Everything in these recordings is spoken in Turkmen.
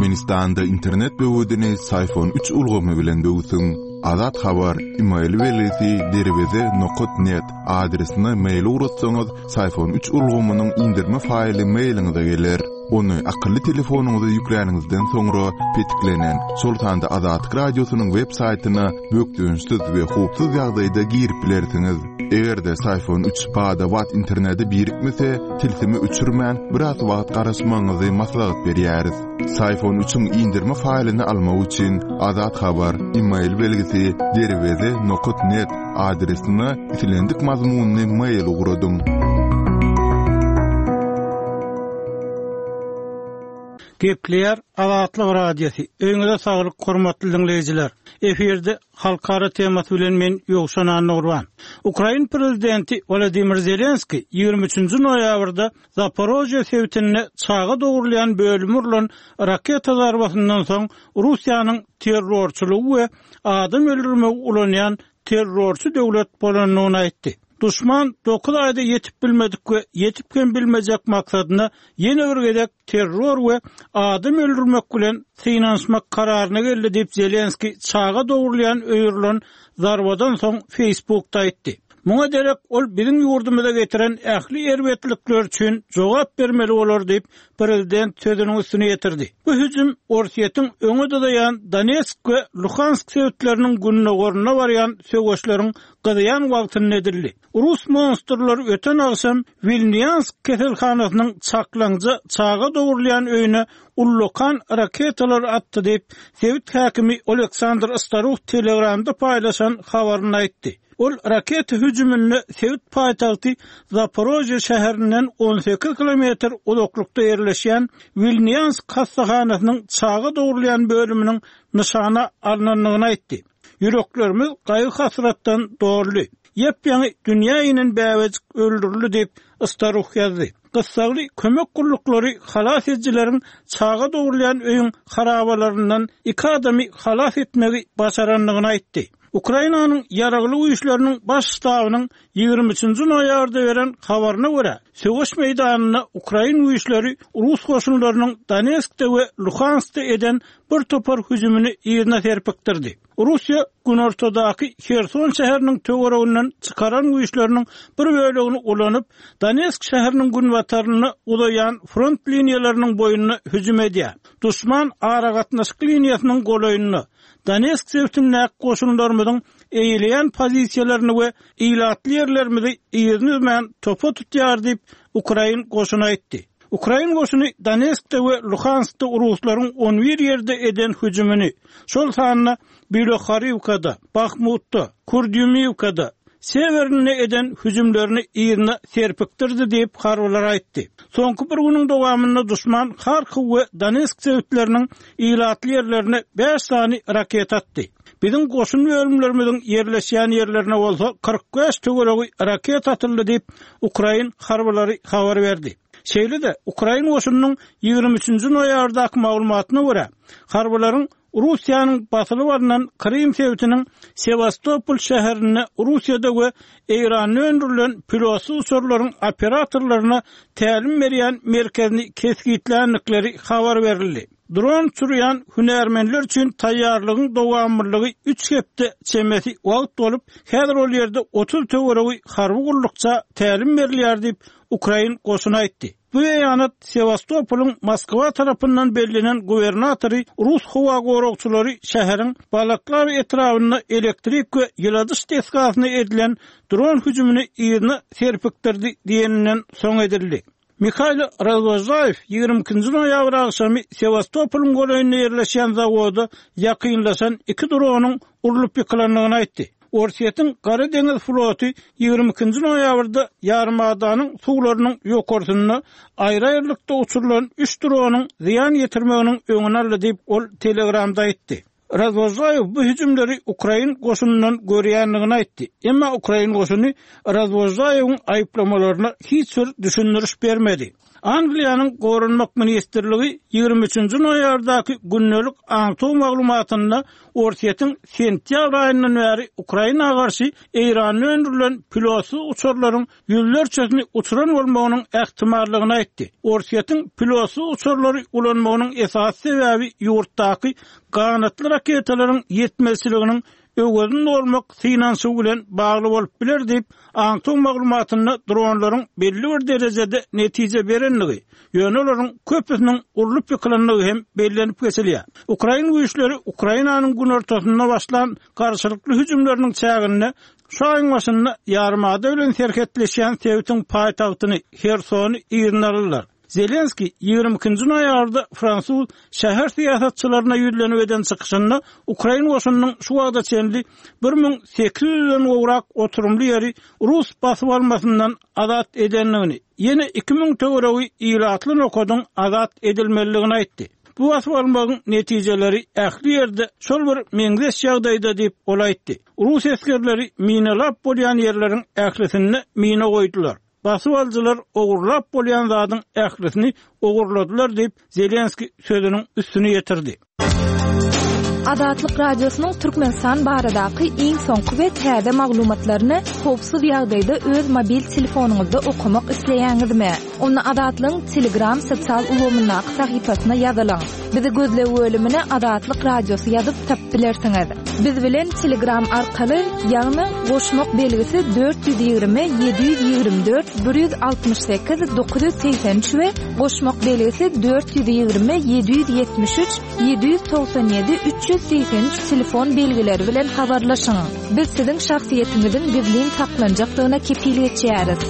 Türkmenistanda internet böwedini Syfon üç ulgamy bilen böwsüň. Azat Habar, email belgisi derweze nokat net adresine mail ugratsaňyz, Syfon üç ulgamynyň indirme faýly mailiňize geler. Ony akylly telefonyňyza ýükläniňizden soňra petiklenen, şol sanda Azatlyk Radiosynyň web saýtyna bökdençsiz we howpsuz ýagdaýda girip bilersiňiz. Eger-de Syfon üç bada-bat internete birikmese, tilsimi öçürmän, biraz wagt garaşmagyňyzy maslahat berýäris. Syfon üçiň indirme faýlyny almak üçin Azat Habar, email belgisi derweze nokat net adresine islendik mazmunly mail ugradyň. Gepleýär Azatlyk Radiosy. Öýüňize saglyk hormatly diňleýjiler. Efirde Halkara temasy bilen men Ýowşan Annagurban. Ukrain prezidenti Wolodymyr Zelenskiý 23-nji noýabrda Zaporožýe sebitinde çaga dogrulýan bölüme urlan raketa zarbasyndan soň Russiýanyň terrorçylygy we adam öldürmegi ulanýan terrorçy döwlet bolandygyny aýtdy. Duşman dokuz aýda ýetip bilmedik we ýetip hem bilmejek maksadyna ýene bir gezek terror we adam öldürmek bilen synanyşmak kararyna geldi diýip, Zelenskiý çaga dogrulýan öýe urlan zarbadan soň Facebookda aýtdy. Muňa derek ol biziň ýurdumyza getiren ähli erbetlikler üçin jogap bermeli bolar diýip, prezident sözüniň üstüni ýetirdi. Bu hüjüm Orsýetiň öňe dyzaýan Donetsk we Luhansk sebitleriniň gündogarynda barýan söweşleriň gyzýan wagtynda edildi. Rus monstrlary öten agşam Wilnýansk keselhanasynyň çaklaňja çaga dogrulýan öýüne ullakan raketalar atdy diýip, sebit häkimi Oleksandr Staruh Telegramda paýlaşan habarynda aýtdy. Ol raketa hüjüminde sebit paýtagty Zaporožýe şäherinden 18 kilometr uzaklykda ýerleşýän Wilnýansk hassahanasynyň çaga dogrulýan bölüminiň nyşana alnandygyny aýtdy. Ýüreklerimiz gaýgy-hasratdan doldy. Ýap-ýaňy dünýä inen bäbejik öldürildi diýip, Staruh ýazdy. Gyssagly kömek gulluklary halas edijileriň çaga dogrulýan öýüň harabalaryndan iki adamy halas etmegi başarandygyny aýtdy. Ukrainanyň Ýaragly Güýçleriniň Baş ştabynyň 23-nji noýabrda beren habaryna görä, söweş meýdanynda ukrain güýçleri rus goşunlarynyň Donetskde we Luhanskda eden bir topar hüjümini yzyna serpikdirdi. Russiýa günortadaky Herson şäheriniň töwereginden çykaran güýçleriniň bir bölegini ulanyp, Donetsk şäheriniň günbataryna uzaýan front liniýalarynyň boýunda hüjüm edýär. Duşman aragatnaşyk liniýasynyň golaýynda, Donetsk sebitindäki goşunlarymyzyň eýeleýän pozisiýalaryny we ilatly ýerlerimizi yzyny üzmän topa tutýar diýip, ukrain goşuny aýtdy. Ukrain goşuny Donetskde we Luhanskda ruslaryň on bir ýerde eden hüjümini, şol sanda Bilohoriwkada, Bahmutda, Kurdýumiwkada, Sewerinde eden hüjümlerini yzyna serpikdirdi diýip, harbylar aýtdy. Soňky bir günüň dowamynda duşman Harkow we Donetsk sebitleriniň ilatly ýerlerine bäş sany raketa atdy. Biziň goşun bölümlerimiziň ýerleşýän ýerlerine bolsa 45 töweregi raketa atyldy diýip, ukrain harbylary habar berdi. Şeýle-de, ukrain goşunynyň 23-nji noýabrdaky maglumatyna görä, harbylaryň Russiýanyň basylyp alnan Krym sebitiniň Sewastopol şäherinde Russiýada we Eýranda öndürilen pilotsyz uçarlaryň operatorlaryna tälim berýän merkezini kesgitländikleri habar berildi. Dron uçurýan hünärmenler üçin taýýarlygyň dowamlylygy üç hepde çemesi wagt bolup, häzir ol ýerde 30 töweregi harby gullukça tälim berilýär diýip, ukrain goşuny aýtdy. Bu beýanat Sewastopolyň Moskwa tarapyndan bellenen gubernatory rus howa goragçylary şäheriň Balaklawa etrabynda elektrik we ýyladyş desgasyna edilen dron hüjümini yzyna serpikdirdi diýeninden soň edildi. Mihailo Razwožaýew 22-nji noýabr agşamy Sewastopolyň golaýynda ýerleşýän zawoda ýakynlaşan iki dronyň urlup ýykylandygyny aýtdy. Orsýetiň Gara deňiz floty 22-nji noýabrda ýarymadanyň suwlarynyň ýokarsynda aýry-aýrylykda uçurylan üç dronyň zyýan ýetirmeginiň öňüni aldy diýip, ol Telegramda aýtdy. Razwožaýew bu hüjümleri ukrain goşunyndan görýändigini aýtdy. Emma ukrain goşuny Razwožaýewiň aýyplamalaryna hiç bir düşündiriş bermedi. Angliýanyň Goranmak ministrligi 23 nji noýabrdaky gündelik aňtaw maglumatynda Orsýetiň sentýabr aýyndan bäri Ukraina garşy Eýranda öndürilen pilotsyz uçarlaryň ýüzlerçesini uçuran bolmagynyň ähtimallygyny aýtdy. Orsýetiň pilotsyz uçarlary ulanmagynyň esasy sebäbi ýurtdaky ganatly raketalaryň ýetmezçiliginiň öwezini dolmak synanyşygy bilen bagly bolup biler diýip, aňtaw maglumatynda dronlaryň belli bir derejede netije berendigi, ýöne olaryň köpüsiniň urlup ýykylandygy hem bellenip geçilýär. Ukrain güýçleri Ukrainanyň günortasynda başlan garşylykly hüjümleriniň çäginde şu aýyň başynda ýarymada bilen serhetleşýän sebitiň paýtagtyny, Hersony yzyna aldylar. Zelenskiý 22 nji noýabrda fransuz şäher syýasatçylaryna ýüzlenip eden çykyşynda ukrain goşunynyň şu wagta çenli 1800-den gowrak oturymly ýeri rus basyp almasyndan azat edendigini, ýene 2000 töweregi ilatly nokadyň azat edilmelidigini aýtdy. Bu basyp almagyň netijeleri ähli ýerde şol bir meňzeş ýagdaýda diýip, ol aýtdy. Rus esgerleri minalap bolýan ýerleriň ählisinde mina goýdular. Basybalyjylar ogurlap bolýan zadyň ählisini ogurladylar diýip, Zelenskiý sözüniň üstüni ýetirdi. Azatlyk Radiosynyň Türkmenistan baradaky iň soňky we täze maglumatlaryny howpsuz ýagdaýda öz mobil telefonyňyzda okamak isleýäňizmi? Onda Azatlygyň Telegram sosial ulgamyndaky sahypasyna ýazylyň. Bizi gözleg bölümine Azatlyk Radiosy ýazyp tapyp bilersiňiz. Biz bilen Telegram arkaly, ýagny goşmak belgisi 420 724 168 983 we goşmak belgisi 420 773 797 383 telefon belgileri bilen habarlaşyň. Biz siziň şahsyýetiňiziň gizlin saklanjakdygyna kepil geçýäris.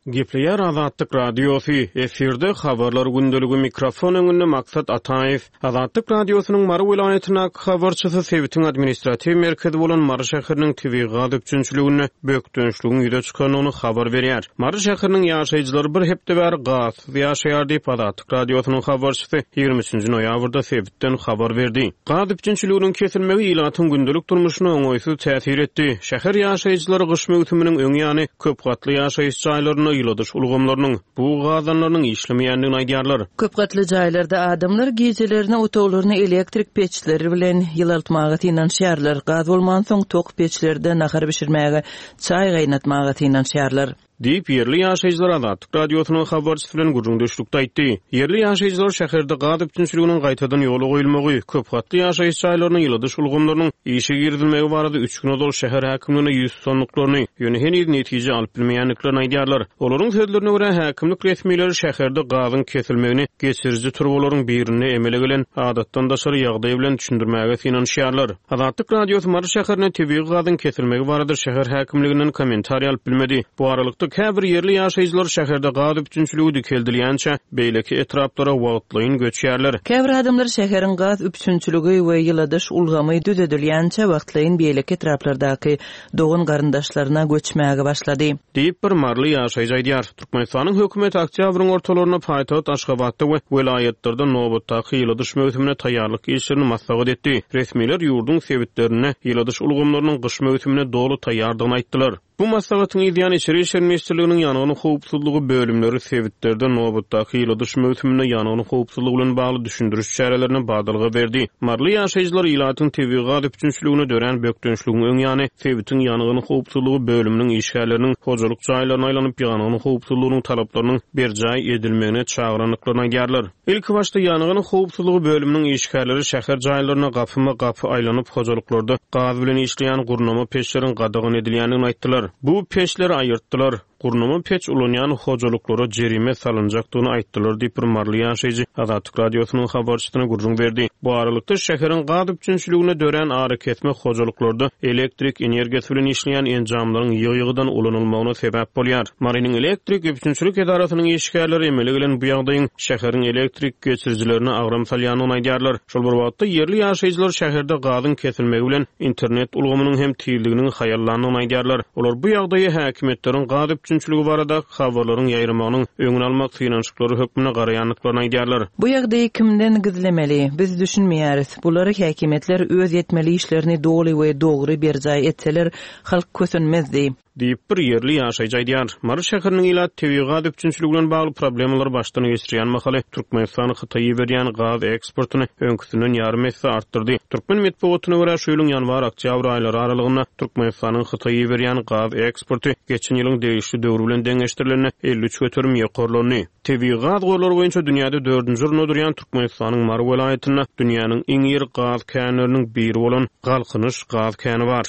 Gepleýär Azatlyk Radiosy, efirde Habarlar gündeligi mikrofon öňünde Maksat Ataýew. Azatlyk Radiosynyň Mary welaýatyndaky habarçysy sebitiň administratiw merkezi bolan Mary şäheriniň tebigy gaz üpjünçiliginde bökdençligiň ýüze çykandygyny habar berýär. Mary şäheriniň ýaşaýjylary bir hepde bäri gazsyz ýaşaýar diýip, Azatlyk Radiosynyň habarçysy 23 nji noýabrda sebitden habar berdi. Gaz üpjünçiliginiň kesilmegi ilatyň gündelik durmuşyna oňaýsyz täsir etdi. Şäher ýaşaýjylary gyş möwsüminiň öň ýany köp gatly ýaşaýyş jaýlarynda ýyladyş ulgamlarynyň, bug gazanlarynyň işlemeýändigini aýdýarlar. Köp gatly jaýlarda adamlar gijelerine otaglaryny elektrik peçleri bilen ýylaltmaga synanyşýarlar. Gaz bolmansoň, tok peçlerde nahar bişirmäge, çaý gaýnatmaga synanyşýarlar. Diýip, ýerli ýaşaýjylar Azatlyk Radiosynyň habarçysy bilen gürrüňdeşlikde aýtdy. Ýerli ýaşaýjylar şäherde gaz üpjünçiliginiň gaýtadan ýola goýulmagy, köp gatly ýaşaýyş jaýlaryna ýyladyş ulgamlarynyň işe girizilmegi barada üç gün ozal şäher häkimligine ýüz tutandyklaryny, ýöne heniz netije alyp bilmeýändiklerini aýdýarlar. Olaryň sözlerine görä, häkimlik resmileri şäherde gazyň kesilmegini geçiriji turbalaryň birinde emele gelen adatdan daşary ýagdaý bilen düşündirmäge synanyşýarlar. Azatlyk Radiosy Mary şäherinde tebigy gazyň kesilmegi barada şäher häkimliginden kommentariý alyp bilmedi. Bu aralykda, käbir ýerli ýaşaýjylar şäherde gaz üpjünçiligi dikeldilýänçä, beýleki etraplara wagtlaýyn göçýärler. Käbir adamlar şäheriň gaz üpjünçiligi we ýyladyş ulgamy düzedilýänçä wagtlaýyn beýleki etraplardaky dogan-garyndaşlaryna göçmäge başlady. Diýip, bir maryly ýaşaýjy aýdýar. Türkmenistanyň hökümeti oktýabryň ortalarynda paýtagt Aşgabatda we welaýatlarda nobatdaky ýyladyş möwsümine taýýarlyk işlerini maslahat etdi. Resmiler ýurduň sebitlerinde ýyladyş ulgamlarynyň gyş möwsümine doly taýýardygyny aýtdylar. Bu maslahatyň yzýany Içeri işler ministrliginiň ýangyn howpsuzlygy bölümleri sebitlerde nobatdaky ýyladyş möwsüminde ýangyn howpsuzlygy bilen bagly düşündiriş çärelerine badalga berdi. Maryly ýaşaýjylar ilatyň tebigy gaz üpjünçiligine dörän bökdençligiň öň ýany sebitiň ýangyn howpsuzlygy bölüminiň işgärleriniň hojalyk jaýlaryna aýlanyp, ýangyn howpsuzlygynyň talaplarynyň berjaý edilmegine çagyrandyklaryny aýdýarlar. Ilkibaşda ýangyn howpsuzlygy bölüminiň işgärleri şäher jaýlaryna gapyma-gapy aýlanyp, hojalyklarda gaz bilen işleýän gurnama peçleriň gadagan edilýändigini aýtdylar. Bu peçleri aýyrtdylar. Gurnama peç ulanýan hojalyklara jerime salynjakdygyny aýtdylar diýip, bir maryly ýaşaýjy Azatlyk Radiosynyň habarçysyna gürrüň berdi. Bu aralykda, şäheriň gaz üpjünçiliginde dörän arakesme hojalyklarda elektrik energiýasy bilen işleýän enjamlaryň ýygy-ýygydan ulanylmagyna sebäp bolýar. Marynyň elektrik üpjünçilik edarasynyň işgärleri emele gelen bu ýagdaýyň şäheriň elektrik geçirijilerine agram salýandygyny aýdýarlar. Şol bir wagtda, ýerli ýaşaýjylar şäherde gazyň kesilmegi bilen internet ulgamynyň hem tizliginiň haýallandygyny aýdýarlar. Olar bu ýagdaýy häkimiýetleriň gaz. üpjünçiligi baradaky habarlaryň ýaýramagynyň öňüni almak synanyşyklary hökmünde garaýandyklaryny aýdýarlar. Bu ýagdaýy kimden gizlemeli? Biz düşünmeýäris. Bular häkimiýetler öz etmeli işlerini doly we dogry berjaý etseler, halk kösenmezdi. Diýip, bir ýerli ýaşaýjy aýdýar. Mary şäheriniň ilaty tebigy gaz üpjünçiligi bilen bagly problemalary başdan geçirýän mahaly, Türkmenistan Hytaýa iberýän gaz eksportyny öňküsinden ýarym esse artdyrdy. Türkmen metbugatyna görä, şu ýylyň ýanwar-oktýabr aýlary aralygynda Türkmenistanyň Hytaýa iberýän gaz eksporty geçen ýylyň degişli döwri bilen deňeşdirilende 53% ýokarlandy. Tebigy gaz gorlary boýunça dünýäde dördünji orunda durýan Türkmenistanyň Mary welaýatynda dünýäniň iň iri gaz känleriniň biri bolan Galkynyş gaz käni bar.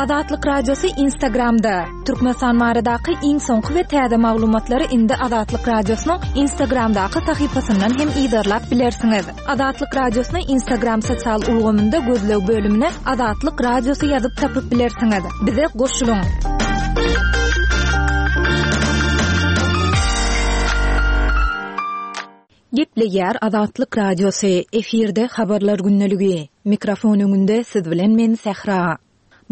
Azatlyk Radiosy Instagramda, Türkmenistan baradaky iň soňky we täze maglumatlary indi Azatlyk Radiosynyň Instagramdaky sahypasyndan hem yzarlap bilersiňiz. Azatlyk Radiosyny Instagram sosial ulgamynda gözleg bölümine Azatlyk Radiosy ýazyp tapyp bilersiňiz. Bize goşulyň! Gepleýär Azatlyk Radiosy, efirde Habarlar gündeligi. Mikrofon öňünde siz bilen men Sähra.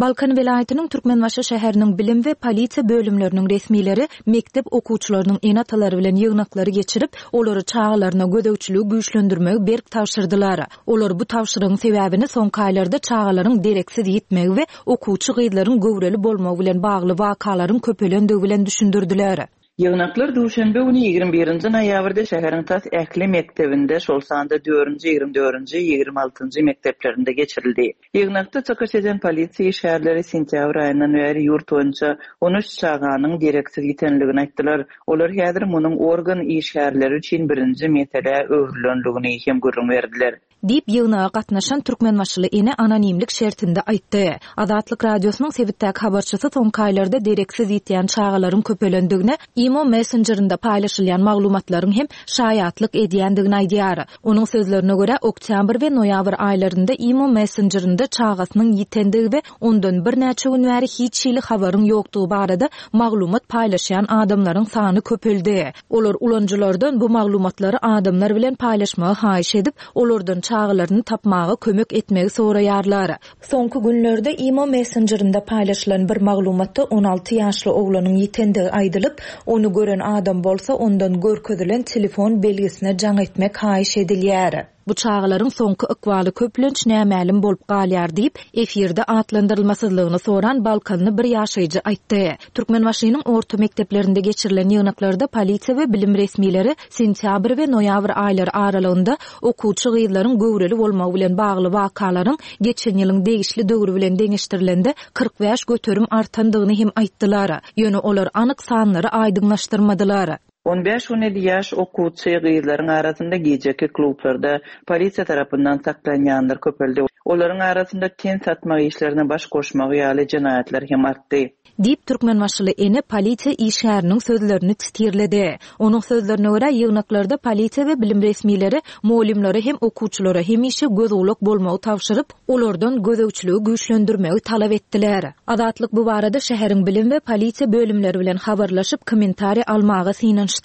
Balkan welaýatynyň Türkmenbaşy şäheriniň bilim we polisiýa bölümleriniň resmileri mekdep okuwçylarynyň ene-atalary bilen ýygnaklary geçirip, olara çagalaryna gözegçiligi güýçlendirmegi berk tabşyrdylar. Olar bu tabşyrygyň sebäbini soňky aýlarda çagalaryň dereksiz ýitmegi we okuwçy gyzlaryň göwreli bolmagy bilen bagly wakalaryň köpelendigi bilen düşündirdiler. Ýygnaklar duşenbe güni, 21 nji noýabrda şäheriň tas ähli mekdebinde, şol sanda dördünji, 24-nji, 26 njy mekdeplerinde geçirildi. Ýygnakda çykyş eden polisiýa işgärleri sentýabr aýyndan bäri ýurt boýunça 13 çaganyň dereksiz ýitenligini aýtdylar. Olar häzir munuň organ işgärleri üçin birinji meselä öwrülenligini hem gürrüň berdiler. Diýip, ýygnaga gatnaşan türkmenbaşyly ene anonimlik şertinde aýtdy. Azatlyk Radiosynyň sebitdäki habarçysy soňky aýlarda dereksiz ýitýän çagalaryň köpelendigine imo messenjerinde paýlaşylýan maglumatlaryň hem şaýatlyk edýändigini aýdýar. Onuň sözlerine görä, oktýabr we noýabr aýlarynda imo messenjerinde çagasynyň ýitendigi we ondan birnäçe gün bäri hiç hili habaryň ýokdugy barada maglumat paýlaşýan adamlaryň sany köpeldi. Olar ulanyjylardan bu maglumatlary adamlar bilen paýlaşmagy haýyş edip, olardan çagalaryny tapmaga kömek etmegi soraýarlar. Soňky günlerde imo messenjerinde paýlaşylan bir maglumatda 16 ýaşly oglanyň ýitendigi aýdylyp, ony gören adam bolsa ondan görkezilen telefon belgisine jaň etmek haýyş edilýär. Bu çagalaryň soňky ykbaly köplenç nämälim bolup galýar diýip, efirde atlandyrylmasyzlygyny soran balkanly bir ýaşaýjy aýtdy. Türkmenbaşynyň orta mekdeplerinde geçirilen ýygnaklarda polisiýa we bilim resmileri sentýabr we noýabr aýlary aralygynda okuwçy gyzlaryň göwreli bolmagy bilen bagly wakalaryň geçen ýylyň degişli döwri bilen deňeşdirilende 45% artandygyny hem aýtdylar. Ýöne olar anyk sanlary aýdyňlaşdyrmadylar. On bäş-on ýedi ýaş okuwçy gyzlaryň arasynda gijeki klublarda polisiýa tarapyndan saklanýanlar köpeldi. Olaryň arasynda ten satmak işlerine baş goşmagy ýaly jenaýatlar hem artdy. Diýip, türkmenbaşyly ene polisiýa işgäriniň sözlerini titirledi. Onuň sözlerine görä, ýygnaklarda polisiýa we bilim resmileri mugallymlara hem okuwçylara hemişe göz-gulak bolmagy tabşyryp, olardan gözegçiligi güýçlendirmegi talap etdiler. Azatlyk bu barada şäheriň bilim we polisiýa bölümleri bilen habarlaşyp, kommentariý almaga synanyşdy.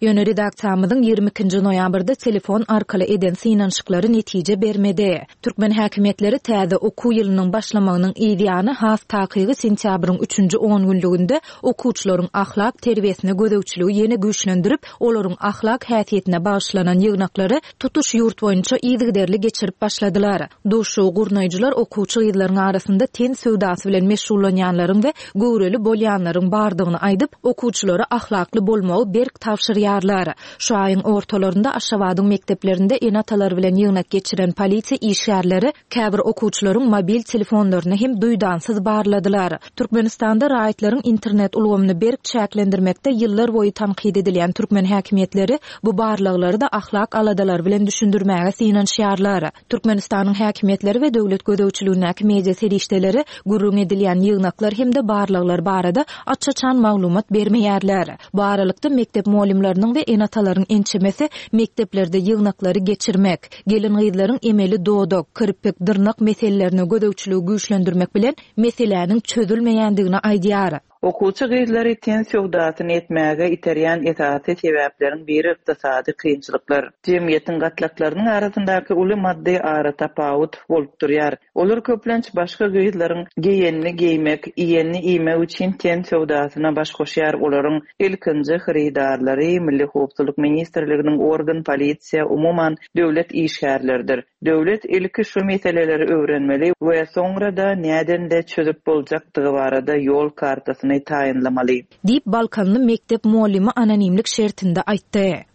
Ýöne redaksiýamyzyň 22 nji noýabrda telefon arkaly eden synanyşyklary netije bermedi. Türkmen häkimiýetleri täze okuw ýylynyň başlamagynyň yz ýany, has takygy sentýabryň üçünji ongünlüginde okuwçylaryň ahlak terbiýesine gözegçiligi ýene güýçlendirip, olaryň ahlak häsiýetine bagyşlanan ýygnaklary tutuş ýurt boýunça yzygiderli geçirip başladylar. Duşuşygy gurnaýjylar okuwçy gyzlaryň arasynda ten söwdasy bilen meşgullanýanlaryň we göwreli bolýanlaryň bardygyny aýdyp, okuwçylara ahlakly bolmagy berk tabşyrýarlar. Şu aýyň ortalarynda Aşgabadyň mekdeplerinde ene-atalar bilen ýygnak geçiren polisiýa işgärleri käbir okuwçylaryň mobil telefonlaryny hem duýdansyz barladylar. Türkmenistanda raýatlaryň internet ulgamyny berk çäklendirmekde ýyllar boýy tankyt edilýän türkmen häkimiýetleri bu barlaglary-da ahlak aladalary bilen düşündirmäge synanyşýarlar. Türkmenistanyň häkimiýetleri we döwlet gözegçiligindäki media serişdeleri gürrüň edilýän ýygnaklar hem-de barlaglar barada aç-açan maglumat bermeýärler. Bu aralykda, mekdep mugallymlarynyň we ene-atalaryň ençemesi mekdeplerde ýygnaklary geçirmek, gelin-gyzlaryň emeli dodak, kirpik, dyrnak meselelerine gözegçiligi güýçlendirmek bilen meseläniň çözülmeýändigini aýdýar. Okuwçy gyzlary ten söwdasyny etmäge iterýän esasy sebäpleriň biri ykdysady kynçylyklar, jemgyýetiň gatlaklarynyň arasyndaky uly maddy aratapawut bolup durýar. Olar köplenç başga gyzlaryň geýenini geýmek, iýenini iýmek üçin ten söwdasyna baş goşýar. Olaryň ilkinji hyrydarlary Milli howpsuzlyk ministrliginiň organ, polisiýa, umuman, döwlet işgärleridir. Döwlet ilki şu meseleleri öwrenmeli we soňra-da nädende çözüp boljakdygy barada ýol kartasyny taýynlamaly. Diýip, balkanly mekdep mugallymy anonimlik şertinde aýtdy.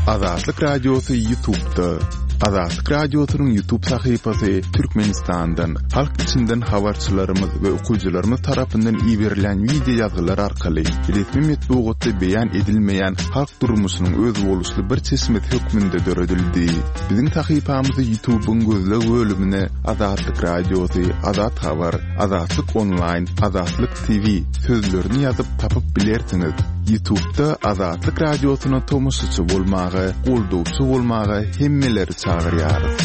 Azatlyk Radiosy Ýutubda. Azatlyk Radiosynyň Ýutub sahypasy Türkmenistandan, halk içinden habarçylarymyz we okyjylarymyz tarapyndan iberilen wideo ýazgylar arkaly resmi metbugatda beýan edilmeýän halk durmuşynyň özboluşly bir çeşmesi hökmünde döredildi. Biziň sahypamyzy Ýutubyň gözleg bölümine Azatlyk Radiosy, Azat Habar, Azatlyk Onlaýn, Azatlyk TV sözlerini ýazyp tapyp bilersiňiz. Ýutubda Azatlyk Radiosyna tomaşaçy bolmaga, goldawçy bolmaga hemmeleri çagyrýarys.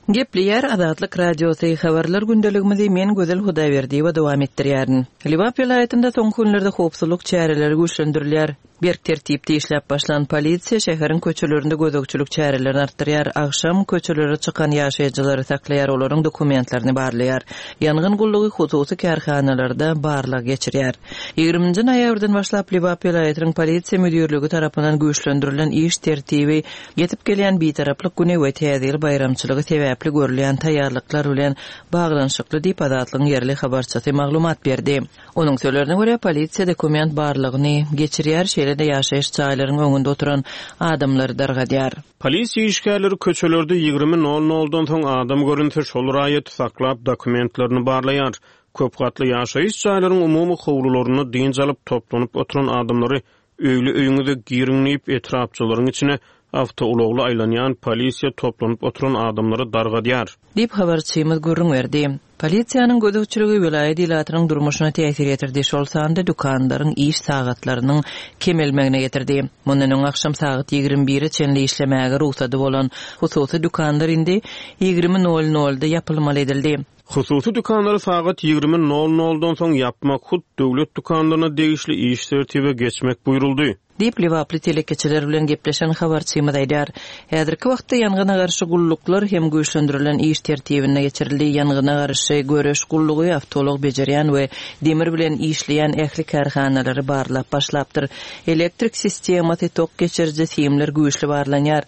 Gepleýär Azatlyk Radiosy, Habarlar gündeligimizi men Gözel Hudaýberdiýewa dowam etdirýärin. Lebap welaýatynda soňky günlerde howpsuzlyk çäreleri güýçlendirilýär. Berk tertipde işläp başlan polisiýa şäheriň köçelerinde gözegçilik çärelerini artdyrýar, agşam köçelere çykan ýaşaýjylary saklaýar, olaryň dokumentlerini barlaýar. Ýangyn gullugy hususy kärhanalarda barlag geçirýär. Ýigriminji noýabrdan başlap Lebap welaýatynyň polisiýa müdirligi tarapyndan güýçlendirilen iş tertibi ýetip gelýän Bitaraplyk güni we Täze ýyl baýramçylygy sebäpli görülýän taýýarlyklar bilen baglanyşykly diýip, Azatlygyň ýerli habarçysy maglumat berdi. Onuň sözlerine görä, polisiýa dokument barlagyny geçirýär, şeýle-de ýaşaýyş jaýlaryň öňünde oturan adamlary dargadýar. Polisiýa işgärleri köçelerde 20 nol noldan soň adam görünse, şol raýaty saklap, dokumentlerini barlaýar. Köp gatly ýaşaýyş jaýlaryň umumy howlularynda dynç alyp, toplanyp oturan adamlary Öýli-öýüňize giriň diýip, etrapçalaryň içine awtoulagly aýlanýan polisiýa toplanyp oturan adamlary dargadýar. Diýip, habarçymyz gürrüň berdi. Polisiýanyň gözegçiligi welaýat ilatynyň durmuşyna täsir ýetirdi, şol sanda dükanlaryň iş sagatlarynyň kemelmegine getirdi. Mundan öň agşam sagat 21-e çenli işlemäge rugsady bolan hususy dükanlar indi 20 nol nolda ýapylmaly edildi. Hususy dükanlary sagat 20 nol noldan soň ýapmak, hut döwlet dükanlaryna degişli iş tertibe geçmek buýruldy. Diýip, lebaply telekeçiler bilen gepleşen habarçymyz aýdýar. Häzirki wagtda ýangyna garşy gulluklar hem güýçlendirilen iş tertibinde geçirildi. Ýangyna garşy göreş gullugy awtoulag bejerýän we demir bilen işleýän ähli kärhanalary barlap başlapdyr. Elektrik sistemasy, tok geçiriji simler güýçli barlanýar.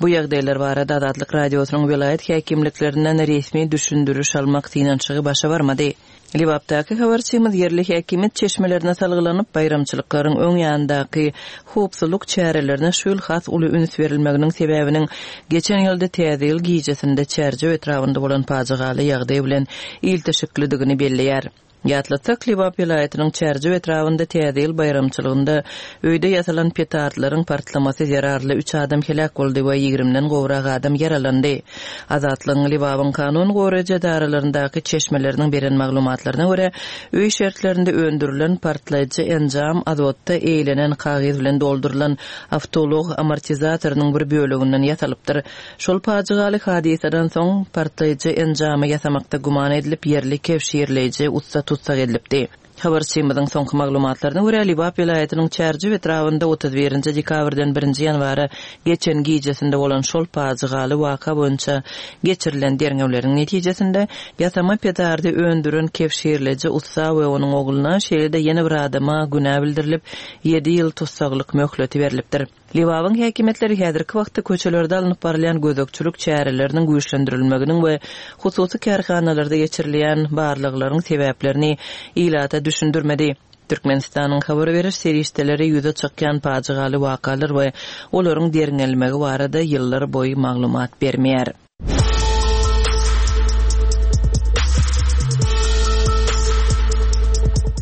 Bu ýagdaýlar barada Azatlyk Radiosynyň welaýat häkimliklerinden resmi düşündiriş almak synanyşygy başa barmady. Lebapdaky habarçymyz ýerli häkimiýet çeşmelerine salgylanyp, baýramçylyklaryň öň ýanyndaky howpsuzlyk çärelerine şu ýyl has uly üns berilmeginiň sebäbiniň geçen ýylda Täze ýyl gijesinde Çärjew etrabynda bolan pajygaly ýagdaý bilen ilteşiklidigini belleýär. Ýatlatsak, Lebap welaýatynyň Çärjew etrabynda Täze ýyl baýramçylygynda öýde ýasalan petardlaryň partlamasy zerarly üç adam heläk boldy we ýigrimden gowrak adam ýaralandy. Azatlygyň Lebabyň kanun goraýjy edaralaryndaky çeşmeleriniň beren maglumatlaryna görä, öý şertlerinde öndürilen partlaýjy enjam azotda eýlenen kagyz bilen doldurylan awtoulag amortizatorynyň bir böleginden ýasalypdyr. Şol pajygaly hadysadan soň, partlaýjy enjamy ýasamakda güman edilip, ýerli kebşirleýji ussa tussag edilipdi. Habarçymyzyň soňky maglumatlaryna görä, Lebap welaýatynyň Çärjew etrabynda 31 dekabrdan birinji ýanwara geçen gijesinde bolan şol pajygaly waka boýunça geçirilen derňewleriň netijesinde, ýasama petardy öndüren kebşirleýji ussa we onuň ogluna, şeýle-de ýene bir adama günä bildirilip, ýedi ýyl tussaglyk möhleti berlipdir. Lebabyň häkimiýetleri häzirki wagtda köçelerde alnyp barylýan gözegçilik çäreleriniň güýçlendirilmeginiň we hususy kärhanalarda geçirilýän barlaglaryň sebäplerini ilata düşündirmedi. Türkmenistanyň habar beriş serişdeleri ýüze çykýan pajygaly wakalar we olaryň derňelmegi barada ýyllar boýy maglumat bermeýär.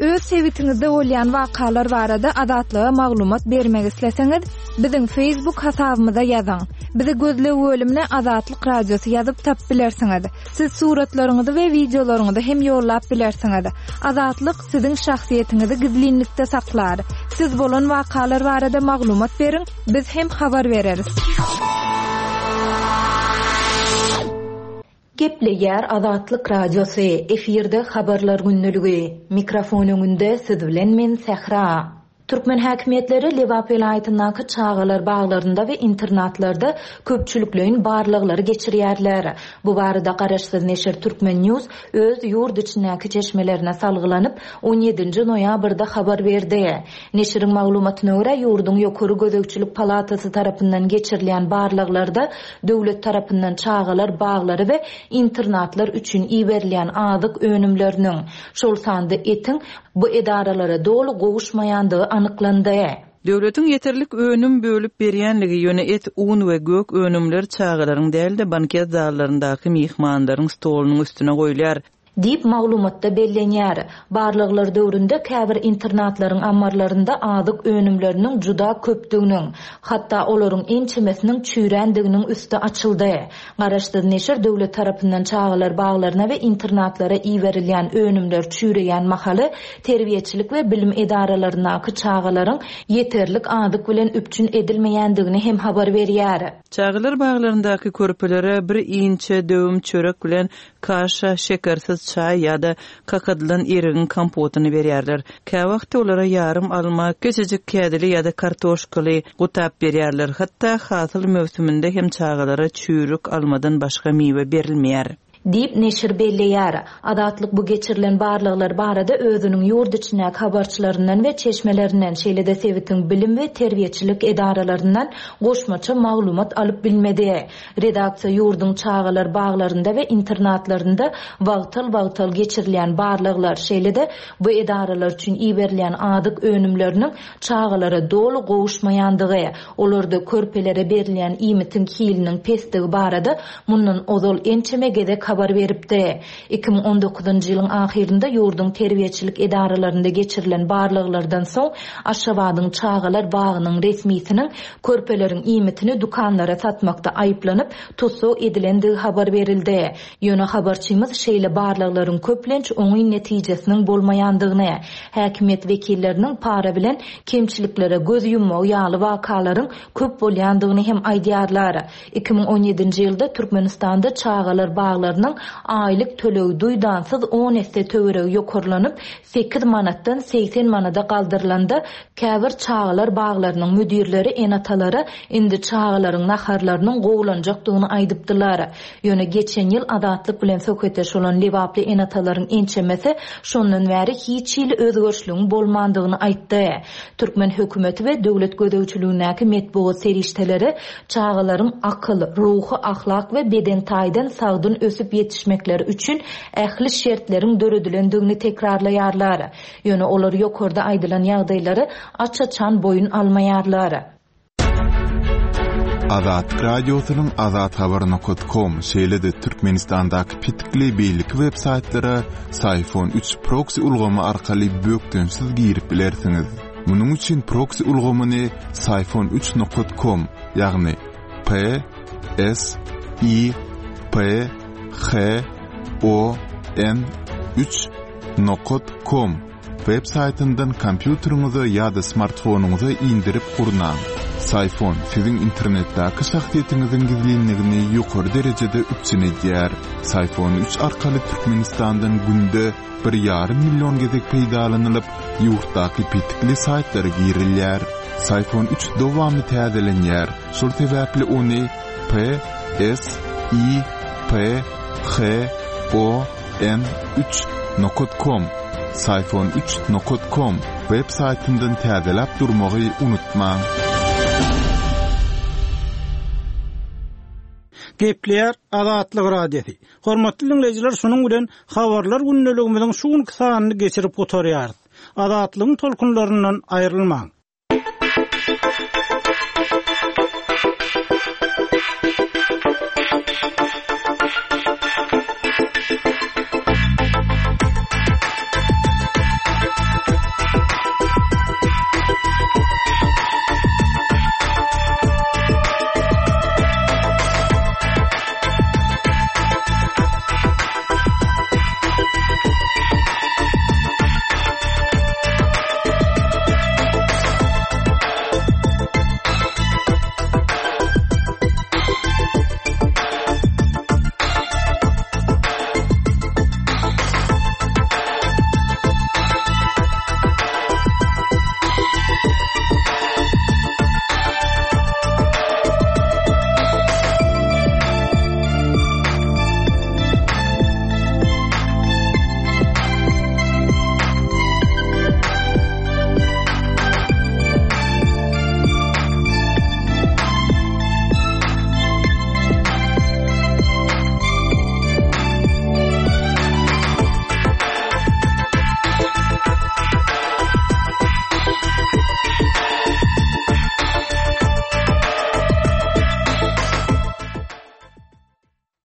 Öz sebitiňizde bolýan wakalar barada Azatlyga maglumat bermek isleseňiz, biziň Facebook hasabymyza ýazyň. Bizi gözleg bölümine Azatlyk Radiosy ýazyp tapyp bilersiňiz. Siz suratlaryňyzy we wideolaryňyzy hem ýollap bilersiňiz. Azatlyk siziň şahsyýetiňizi gizlinlikde saklar. Siz bolan wakalar barada maglumat beriň, biz hem habar bereris. Gepleýär Azatlyk Radiosy, efirde Habarlar gündeligi. Mikrofon öňünde siz bilen men Sähra. Türkmen häkimiýetleri Lebap welaýatyndaky çagalar baglarynda we internatlarda köpçülikleýin barlaglary geçirýärler. Bu barada garaşsyz neşir Turkmen. News öz ýurt içindäki çeşmelerine salgylanyp, on ýedinji noýabrda habar berdi. Neşiriň maglumatyna görä, ýurduň Ýokary gözegçilik palatasy tarapyndan geçirilýän barlaglarda döwlet tarapyndan çagalar baglary we internatlar üçin iberilýän azyk önümleriniň, şol sanda etiň bu edaralara doly gowuşmaýandygy anyklandy. Döwletiň ýeterlik önüm bölüp berýänligi, ýöne et, un we gök önümler çagalaryň däl-de, banket zallaryndaky myhmanlaryň stolunyň üstüne goýulýar. Diýip, maglumatda bellenýär. Barlaglar döwründe käbir internatlaryň ammarlarynda azyk önümleriniň juda köpdüginiň, hatda olaryň ençemesiniň çüýrändiginiň üsti açyldy. Garaşsyz neşir döwlet tarapyndan çagalar baglaryna we internatlara iberilýän önümler çüýreýän mahaly terbiýeçilik we bilim edaralaryndaky çagalaryň ýeterlik azyk bilen üpjün edilmeýändigini hem habar berýär. Çagalar baglaryndaky körpelere bir inçe döwüm çörek bilen kaşa, şekersiz çaý ýa-da kakadylan erigiň kompotyny berýärler. Käwagt olara ýarym alma, kiçijik kädili ýa-da kartoşkaly gutap berýärler. Hatda hasyl möwsüminde hem çagalara çüýrük almadan başga miwe berilmeýär. Diýip, neşir belleýär. Azatlyk bu geçirilen barlaglar barada özüniň ýurt içindäki habarçylaryndan we çeşmelerinden, şeýle-de sebitiň bilim we terbiýeçilik edaralaryndan goşmaça maglumat alyp bilmedi. Redaksiýa ýurduň çagalar baglarynda we internatlarynda wagtal-wagtal geçirilýän barlaglar, şeýle-de bu edaralar üçin iberilýän azyk önümleriniň çagalara doly gowuşmaýandygy, olarda körpelere berilýän iýmitiň hiliniň pesdigi barada mundan ozal ençeme gezek habar beripdi. 2019-njy ýylyň ahyrynda ýurduň terbiýeçilik edaralarynda geçirilen barlaglardan soň, Aşgabadyň çagalar bagynyň resmisiniň körpeleriň iýmitini dükanlara satmakda aýyplanyp, tussag edilendigi habar berildi. Ýöne habarçymyz şeýle barlaglaryň köplenç oňyn netijesiniň bolmaýandygyny, häkimiýet wekilleriniň para bilen kemçiliklere göz ýummagy ýaly wakalaryň köp bolýandygyny hem aýdýarlar. 2017-nji ýylda Türkmenistanda çagalar baglarynyň aýlyk tölegi duýdansyz on esse töweregi ýokarlanyp, sekiz manatdan 80 manada galdyrylanda, käbir çagalar baglarynyň müdirleri ene-atalara indi çagalaryň naharlarynyň gowulanjakdygyny aýdypdylar. Ýöne geçen ýyl Azatlyk bilen söhbetdeş bolan lebaply ene-atalaryň ençemesi şondan bäri hiç hili özgerişligiň bolmandygyny aýtdy. Türkmen hökümeti we döwlet gözegçiligindäki metbugat serişdeleri çagalaryň akyl, ruhy, ahlak we beden taýdan sagdyn ösüp ýetişmekleri üçin ähli şertleriň döredilendigini tekrarlaýarlar. Ýöne olar ýokarda aýdylan ýagdaýlary aç-açan boýun almaýarlar. Azatlyk Radiosynyň azathabar nokat kom, şeýle-de Türkmenistandaky petikli beýleki web saýtlara Syfon 3 proksi ulgamy arkaly bökdençsiz girip bilersiňiz. Munuň üçin proksi ulgamyny syfon 3 nokat kom, ýagny P S I P H O N 3 nokat kom Web saýtyndan kompýuteriňize ýa-da smartfonyňyza indirip gurnaň. Syfon siziň internetdäki şahsyýetiňiziň gizlinligini ýokary derejede üpjün edýär. Syfon 3 arkaly Türkmenistandan günde bir ýarym million gezek peýdalanylyp, ýurtdaky petikli saýtlara girilýär. Syfon 3 dowamly täzelenýär, şol sebäpli ony P S I P H O N 3 nokat kom Syfon 3 nokat kom web saýtyndan täzeläp durmagy unutmaň. Gepleýär Azatlyk Radiosy. Hormatly diňleýjiler şunuň bilen Habarlar gündeligimiziň şu günki sanyny geçirip gutarýarys. Azatlygyň tolkunlaryndan aýrylmaň.